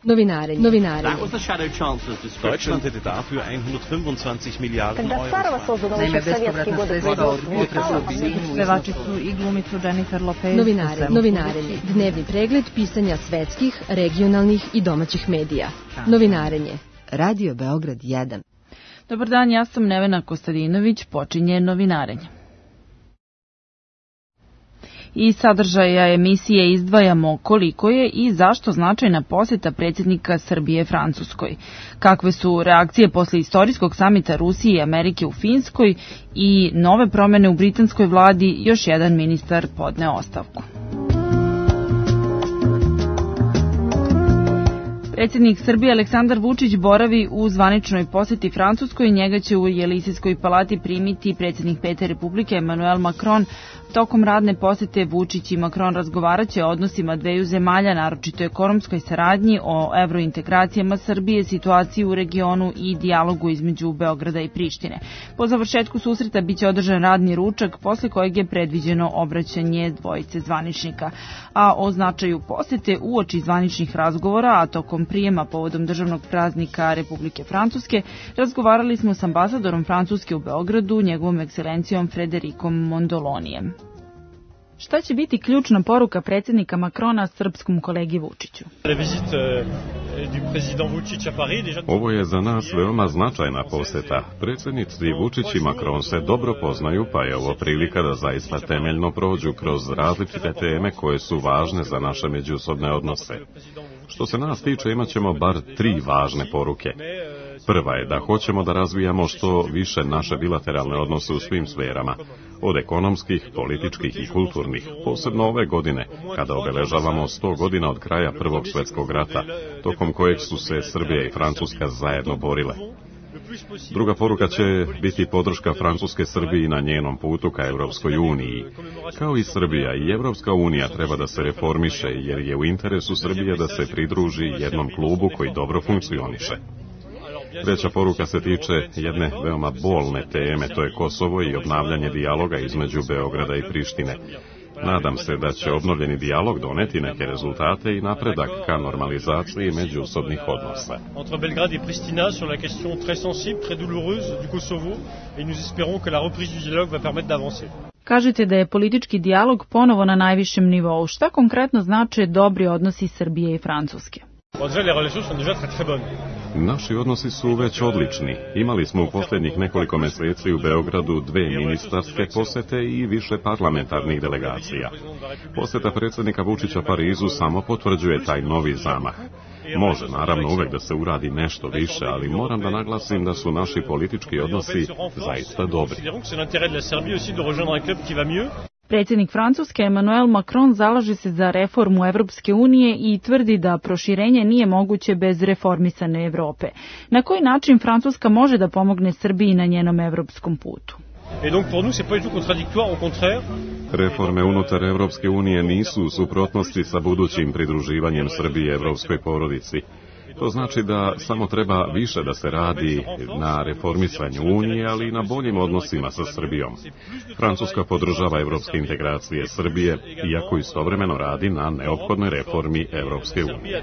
Novinarenje. Deutschland hätte dafür 125 Miliarden Euro. Naime, bespovratna sredstva od puta u Binu. Pevačicu i glumicu Jennifer Lopez. Novinarenje. Dnevni pregled pisanja svetskih, regionalnih i domaćih medija. Novinarenje. Radio Beograd 1. Dobar dan, ja sam Nevena Kostadinović, počinje novinarenje. Iz sadržaja emisije izdvajamo koliko je i zašto značajna poseta predsjednika Srbije Francuskoj. Kakve su reakcije posle istorijskog samita Rusije i Amerike u Finskoj i nove promene u britanskoj vladi, još jedan ministar podneo ostavku. Predsjednik Srbije Aleksandar Vučić boravi u zvaničnoj poseti Francuskoj. Njega će u Jelisejskoj palati primiti predsjednik Pete Republike Emmanuel Macron. Tokom radne posete Vučić i Macron razgovaraće o odnosima dveju zemalja, naročito ekonomskoj saradnji, o evrointegracijama Srbije, situaciji u regionu i dijalogu između Beograda i Prištine. Po završetku susreta biće održan radni ručak, posle kojeg je predviđeno obraćanje dvojice zvaničnika. A o značaju posete uoči zvaničnih razgovora, a tokom prijema povodom državnog praznika Republike Francuske, razgovarali smo s ambasadorom Francuske u Beogradu, njegovom ekscelencijom Fredericom Mondolonijem. Šta će biti ključna poruka predsjednika Macrona srpskom kolegi Vučiću? Ovo je za nas veoma značajna poseta. Predsjednici Vučić i Macron se dobro poznaju, pa je ovo prilika da zaista temeljno prođu kroz različite teme koje su važne za naše međusobne odnose. Što se nas tiče, imat ćemo bar 3 važne poruke. Prva je da hoćemo da razvijamo što više naše bilateralne odnose u svim sferama, od ekonomskih, političkih i kulturnih, posebno ove godine, kada obeležavamo 100 godina od kraja Prvog svjetskog rata, tokom kojeg su se Srbija i Francuska zajedno borile. Druga poruka će biti podrška Francuske Srbiji na njenom putu ka Evropskoj uniji. Kao i Srbija, i Evropska unija treba da se reformiše, jer je u interesu Srbije da se pridruži jednom klubu koji dobro funkcioniše. Treća poruka se tiče jedne veoma bolne teme, to je Kosovo i obnavljanje dijaloga između Beograda i Prištine. Nadam se da će obnovljeni dijalog doneti neke rezultate i napredak ka normalizaciji međusobnih odnosa. Entre Belgrade et Pristina sur la question très sensible, très douloureuse du Kosovo, et nous espérons que la reprise du dialogue va permettre d'avancer. Kažete da je politički dijalog ponovo na najvišem nivou. Šta konkretno znače dobri odnosi Srbije i Francuske? Naši odnosi su već odlični. Imali smo u posljednjih nekoliko meseci u Beogradu 2 ministarske posete i više parlamentarnih delegacija. Poseta predsjednika Vučića Parizu samo potvrđuje taj novi zamah. Može, naravno, uvek da se uradi nešto više, ali moram da naglasim da su naši politički odnosi zaista dobri. Predsjednik Francuske Emmanuel Macron zalaže se za reformu Evropske unije i tvrdi da proširenje nije moguće bez reformisane Evrope. Na koji način Francuska može da pomogne Srbiji na njenom evropskom putu? Reforme unutar Evropske unije nisu u suprotnosti sa budućim pridruživanjem Srbije evropskoj porodici. To znači da samo treba više da se radi na reformisanju Unije, ali i na boljim odnosima sa Srbijom. Francuska podržava evropske integracije Srbije, iako istovremeno radi na neophodnoj reformi Evropske unije.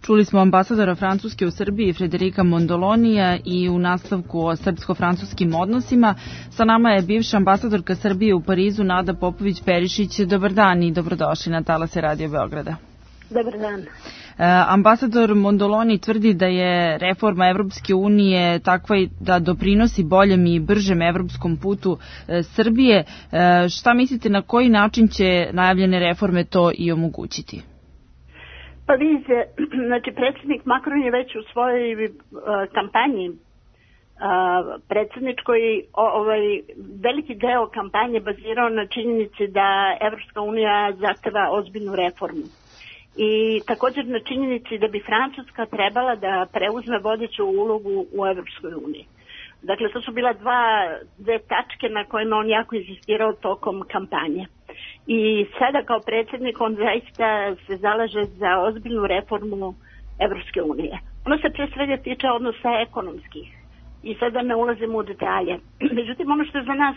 Čuli smo ambasadora Francuske u Srbiji Frederika Mondolonija i u nastavku o srpsko-francuskim odnosima. Sa nama je bivša ambasadorka Srbije u Parizu Nada Popović-Perišić. Dobar dan i dobrodošli na talase Radio Beograda. Dobar dan. Ambasador Mondoloni tvrdi da je reforma Evropske unije takva da doprinosi boljem i bržem evropskom putu Srbije. Šta mislite, na koji način će najavljene reforme to i omogućiti? Pa vidite, znači predsjednik Macron je već u svojoj kampanji predsjedničkoj veliki deo kampanje bazirao na činjenici da Evropska unija zahteva ozbiljnu reformu. I također na činjenici da bi Francuska trebala da preuzme vodeću ulogu u Evropskoj uniji. Dakle, to su bila dve tačke na kojima on jako insistirao tokom kampanje. I sada kao predsjednik on zaista se zalaže za ozbiljnu reformu Evropske unije. Ono se pre svega tiče odnosa ekonomskih i sada ne ulazimo u detalje. Međutim, ono što je za nas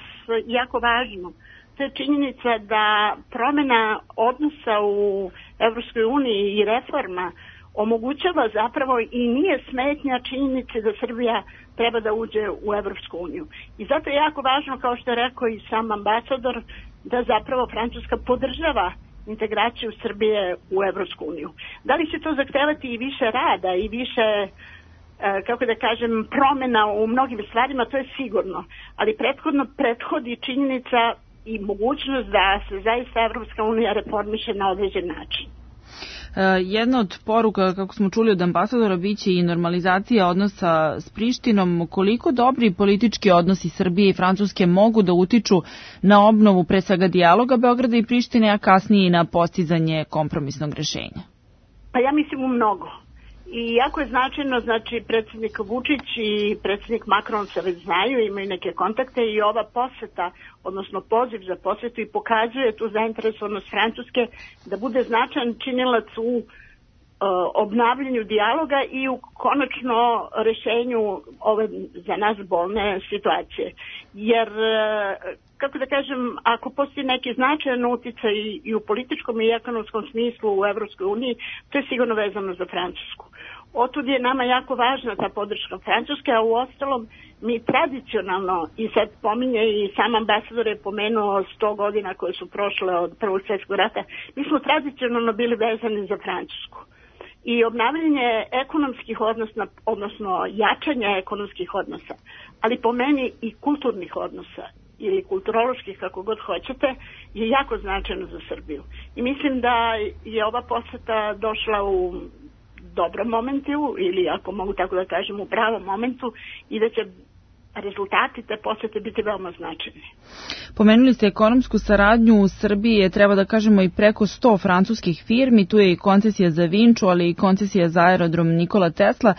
jako važno to je činjenica da promjena odnosa u Evropskoj uniji i reforma omogućava zapravo i nije smetnja činjenice da Srbija treba da uđe u Evropsku uniju. I zato je jako važno, kao što je rekao i sam ambasador, da zapravo Francuska podržava integraciju Srbije u Evropsku uniju. Da li će to zahtevati i više rada i više, kako da kažem, promjena u mnogim stvarima, to je sigurno. Ali prethodi činjenica i mogućnost da se zaista Evropska unija reformiše na određen način. Jedna od poruka, kako smo čuli od ambasadora, biće i normalizacija odnosa s Prištinom. Koliko dobri politički odnosi Srbije i Francuske mogu da utiču na obnovu pre svega dijaloga Beograda i Prištine, a kasnije i na postizanje kompromisnog rešenja? Pa ja mislim u mnogo. I jako je značajno, znači predsjednik Vučić i predsjednik Macron se već znaju, imaju neke kontakte i ova poseta, odnosno poziv za posetu i pokazuje tu zainteresovanost Francuske da bude značajan činilac u obnavljanju dijaloga i u konačno rešenju ove za nas bolne situacije. Jer, kako da kažem, ako postoji neki značajan uticaj i u političkom i ekonomskom smislu u Evropskoj uniji, to je sigurno vezano za Francusku. Otud je nama jako važna ta podrška Francuske, a u ostalom mi tradicionalno, i sad pominje i sam ambasador je pomenuo 100 godina koje su prošle od Prvog svjetskog rata, mi smo tradicionalno bili vezani za Francusku. I obnavljanje ekonomskih odnosa, odnosno jačanje ekonomskih odnosa, ali po meni i kulturnih odnosa ili kulturoloških, kako god hoćete, je jako značajno za Srbiju. I mislim da je ova poseta došla u dobrom momentu, ili ako mogu tako da kažem u pravom momentu, i da će rezultati te posete biti veoma značajni. Pomenuli ste ekonomsku saradnju u Srbiji, treba da kažemo i preko 100 francuskih firmi, tu je i koncesija za Vinču, ali i koncesija za aerodrom Nikola Tesla.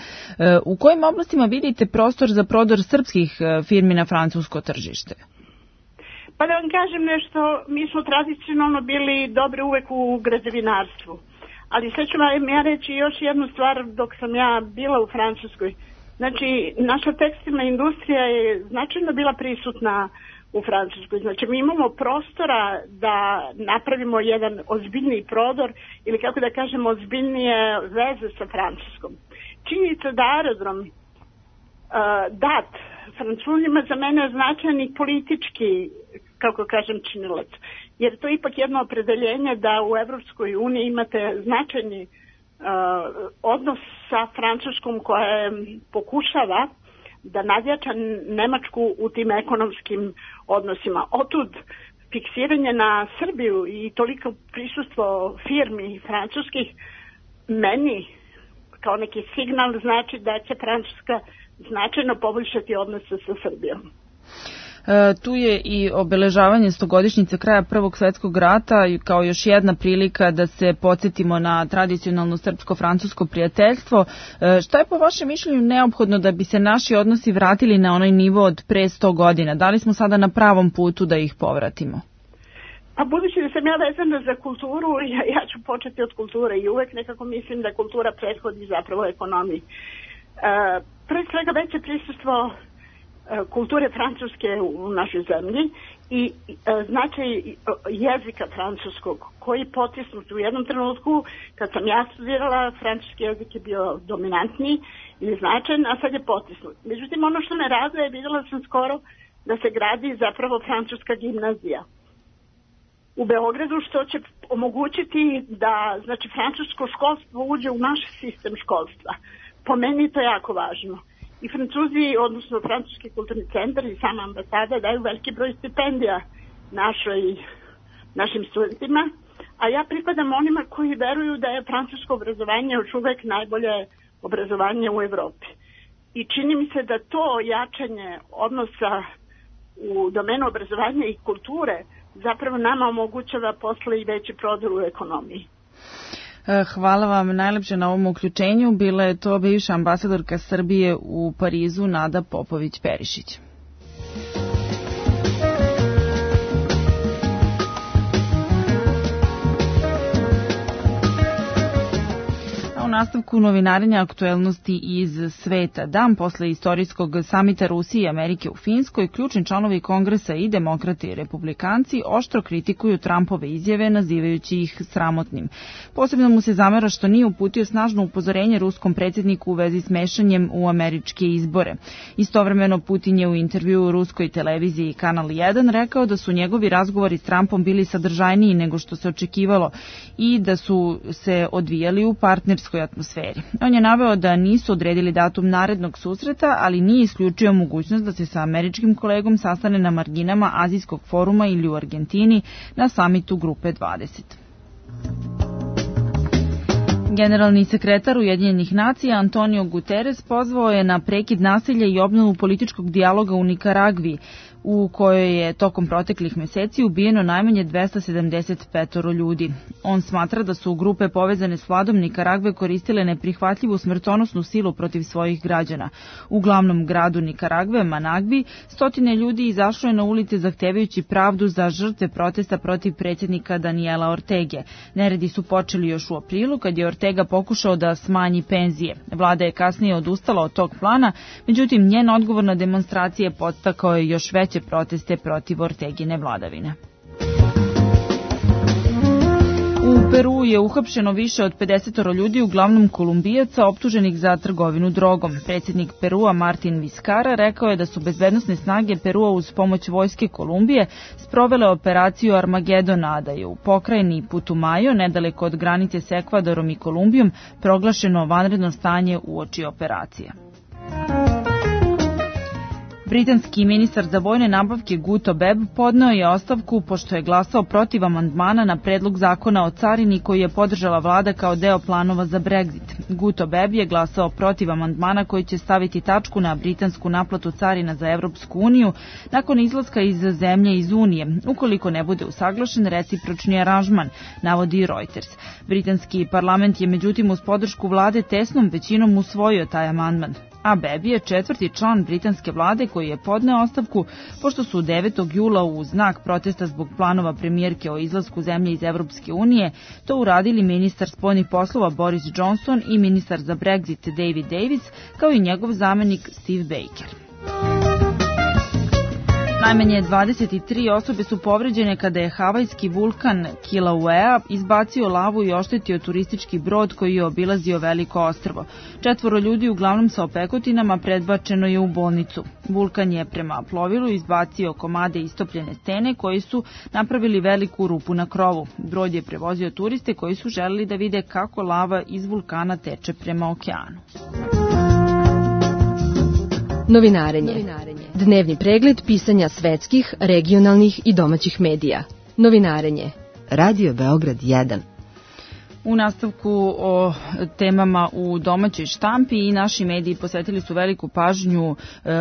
U kojim oblastima vidite prostor za prodor srpskih firmi na francusko tržište? Pa da vam kažem nešto, mi smo tradicionalno bili dobri uvek u građevinarstvu. Ali sad ću vam ja reći još jednu stvar dok sam ja bila u Francuskoj. Znači, naša tekstilna industrija je značajno bila prisutna u Francuskoj. Znači, mi imamo prostora da napravimo jedan ozbiljniji prodor ili, kako da kažem, ozbiljnije veze sa Francuskom. Činjenica da aerodrom dat Francuzima za mene značajan i politički, kako kažem, činilac. Jer to je ipak jedno opredeljenje da u Evropskoj uniji imate značajni odnos sa Francuskom koja pokušava da nadjača Nemačku u tim ekonomskim odnosima. Otud fiksiranje na Srbiju i toliko prisustvo firmi francuskih meni kao neki signal znači da će Francuska značajno poboljšati odnose sa Srbijom. Tu je i obeležavanje 100-godišnjice kraja Prvog svjetskog rata kao još jedna prilika da se podsjetimo na tradicionalno srpsko-francusko prijateljstvo. Šta je po vašem mišljenju neophodno da bi se naši odnosi vratili na onaj nivo od pre 100 godina? Da li smo sada na pravom putu da ih povratimo? A budući da sam ja vezana za kulturu, ja ću početi od kulture i uvek nekako mislim da kultura prethodi zapravo ekonomiji. Pre svega veće prisustvo kulture francuske u našoj zemlji i značaj jezika francuskog koji je potisnut u jednom trenutku kad sam ja studirala, francuski jezik je bio dominantniji ili značajan, a sad je potisnut. Međutim, ono što me raduje, vidjela sam skoro da se gradi zapravo francuska gimnazija u Beogradu, što će omogućiti da, znači, francusko školstvo uđe u naš sistem školstva. Po meni to je jako važno. I Francuzi, odnosno Francuski kulturni centar i sama ambasada daju veliki broj stipendija našim studentima, a ja pripadam onima koji veruju da je francusko obrazovanje još uvek najbolje obrazovanje u Evropi. I čini mi se da to jačanje odnosa u domenu obrazovanja i kulture zapravo nama omogućava posle i veći prodor u ekonomiji. Hvala vam najlepše na ovom uključenju. Bila je to bivša ambasadorka Srbije u Parizu, Nada Popović-Perišić. U nastavku novinarenja aktuelnosti iz sveta. Dan posle istorijskog samita Rusije i Amerike u Finskoj, ključni članovi Kongresa i demokrate i republikanci oštro kritikuju Trumpove izjave, nazivajući ih sramotnim. Posebno mu se zamera što nije uputio snažno upozorenje ruskom predsjedniku u vezi s mešanjem u američke izbore. Istovremeno Putin je u intervjuu u ruskoj televiziji Kanal 1 rekao da su njegovi razgovori s Trumpom bili sadržajniji nego što se očekivalo i da su se odvijali u partnerskoj atmosferi. On je naveo da nisu odredili datum narednog susreta, ali nije isključio mogućnost da se sa američkim kolegom sastane na marginama Azijskog foruma ili u Argentini na samitu Grupe 20. Generalni sekretar Ujedinjenih nacija Antonio Guterres pozvao je na prekid nasilja i obnovu političkog dijaloga u Nikaragvi, u kojoj je tokom proteklih meseci ubijeno najmanje 275 ljudi. On smatra da su grupe povezane s vladom Nikaragve koristile neprihvatljivu smrtonosnu silu protiv svojih građana. U glavnom gradu Nikaragve, Managvi, stotine ljudi izašlo je na ulice zahtevajući pravdu za žrtve protesta protiv predsjednika Daniela Ortege. Neredi su počeli još u aprilu, kad je Ortega pokušao da smanji penzije. Vlada je kasnije odustala od tog plana, međutim njen odgovor na demonstracije podstakao je još veće proteste protiv Ortegine vladavine. U Peru je uhapšeno više od 50 ljudi, uglavnom Kolumbijaca, optuženih za trgovinu drogom. Predsjednik Perua Martin Vizcarra rekao je da su bezbednosne snage Perua uz pomoć vojske Kolumbije sprovele operaciju Armagedon, a da je u pokrajini Putumayo, nedaleko od granice s Ekvadorom i Kolumbijom, proglašeno vanredno stanje uoči operacije. Britanski ministar za vojne nabavke Guto Bebb podneo je ostavku pošto je glasao protiv amandmana na predlog zakona o carini koji je podržala vlada kao deo planova za Brexit. Guto Bebb je glasao protiv amandmana koji će staviti tačku na britansku naplatu carina za Evropsku uniju nakon izlaska iz zemlje iz Unije, ukoliko ne bude usaglašen recipročni aranžman, navodi Reuters. Britanski parlament je međutim uz podršku vlade tesnom većinom usvojio taj amandman. A Bebb je četvrti član britanske vlade koji je podneo ostavku pošto su 9. jula u znak protesta zbog planova premijerke o izlasku zemlje iz Evropske unije to uradili ministar spoljnih poslova Boris Johnson i ministar za Brexit David Davis kao i njegov zamenik Steve Baker. Najmanje 23 osobe su povređene kada je havajski vulkan Kilauea izbacio lavu i oštetio turistički brod koji je obilazio veliko ostrvo. 4 ljudi, uglavnom sa opekotinama, predbačeno je u bolnicu. Vulkan je prema plovilu izbacio komade istopljene stene koji su napravili veliku rupu na krovu. Brod je prevozio turiste koji su želeli da vide kako lava iz vulkana teče prema okeanu. Novinarenje. Dnevni pregled pisanja svetskih, regionalnih i domaćih medija. Novinarenje. Radio Beograd 1. U nastavku o temama u domaćoj štampi i naši mediji posvetili su veliku pažnju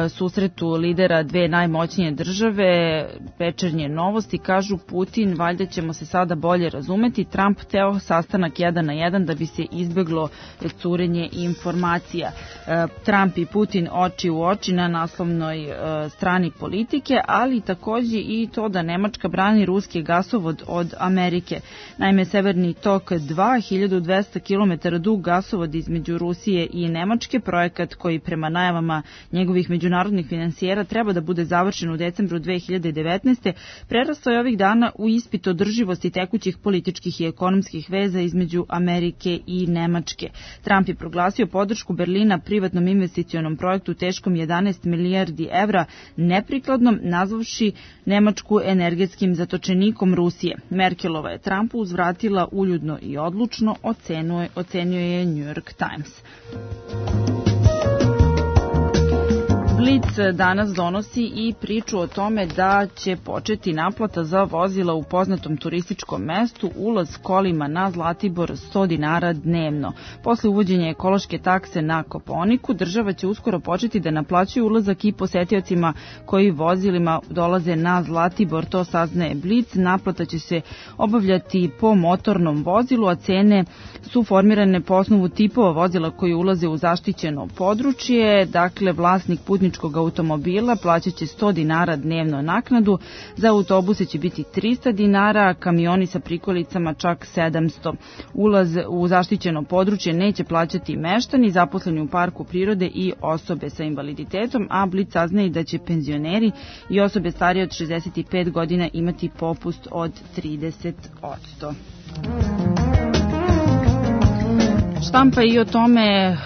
susretu lidera dve najmoćnije države. Večernje novosti kažu Putin, valjda ćemo se sada bolje razumeti, Trump teo sastanak 1 na 1 da bi se izbeglo curenje informacija. Trump i Putin oči u oči na naslovnoj strani Politike, ali takođe i to da Nemačka brani ruski gasovod od Amerike. Naime, Severni tok 2, 1200 km dug gasovod između Rusije i Nemačke, projekat koji prema najavama njegovih međunarodnih finansijera treba da bude završen u decembru 2019. prerastao je ovih dana u ispit održivosti tekućih političkih i ekonomskih veza između Amerike i Nemačke. Trump je proglasio podršku Berlina privatnom investicionom projektu teškom 11 milijardi evra neprikladnom, nazvavši Nemačku energetskim zatočenikom Rusije. Merkelova je Trumpu uzvratila uljudno i odlučno, ocenio je New York Times. Blic danas donosi i priču o tome da će početi naplata za vozila u poznatom turističkom mestu, ulaz kolima na Zlatibor 100 dinara dnevno. Posle uvođenja ekološke takse na Kopaoniku, država će uskoro početi da naplaćuje ulazak i posetiocima koji vozilima dolaze na Zlatibor, to saznaje Blic. Naplata će se obavljati po motornom vozilu, a cene su formirane po osnovu tipova vozila koji ulaze u zaštićeno područje. Dakle, vlasnik putničkog putničkog automobila plaćaće 100 dinara dnevno naknadu, za autobuse će biti 300 dinara, kamioni sa prikolicama čak 700. Ulaz u zaštićeno područje neće plaćati meštani, zaposleni u parku prirode i osobe sa invaliditetom, a Blic saznaje da će penzioneri i osobe starije od 65 godina imati popust od 30%. Štampa i o tome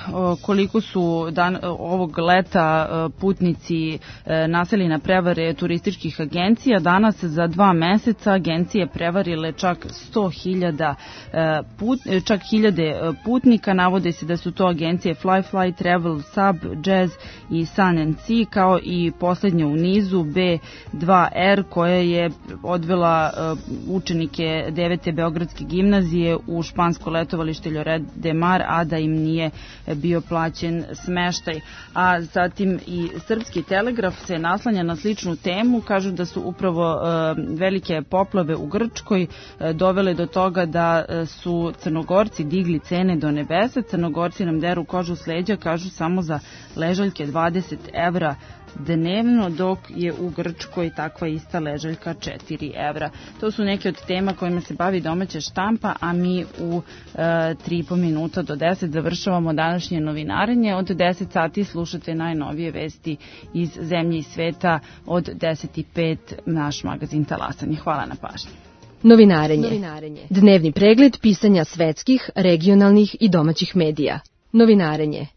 koliko su ovog leta putnici naseli na prevare turističkih agencija. Danas za 2 meseca agencije prevarile čak 100.000 putnika. Navode se da su to agencije Fly, Travel, Sub, Jazz i Sun and Sea, kao i poslednja u nizu B2R koja je odvela učenike 9. Beogradske gimnazije u špansko letovalište Lloret de Mar, a da im nije bio plaćen smeštaj. A zatim i Srpski telegraf se naslanja na sličnu temu, kažu da su upravo velike poplave u Grčkoj dovele do toga da su Crnogorci digli cene do nebesa. Crnogorci nam deru kožu s leđa, kažu samo za ležaljke 20 evra dnevno, dok je u Grčkoj takva ista ležaljka 4 evra. To su neke od tema kojima se bavi domaća štampa, a mi u 3,5 minuta do 10 završavamo današnje novinarenje. Od 10 sati slušate najnovije vesti iz zemlje i sveta, od 10:05 naš magazin Talasanje. Hvala na pažnji. Novinarenje. Dnevni pregled pisanja svetskih, regionalnih i domaćih medija. Novinarenje.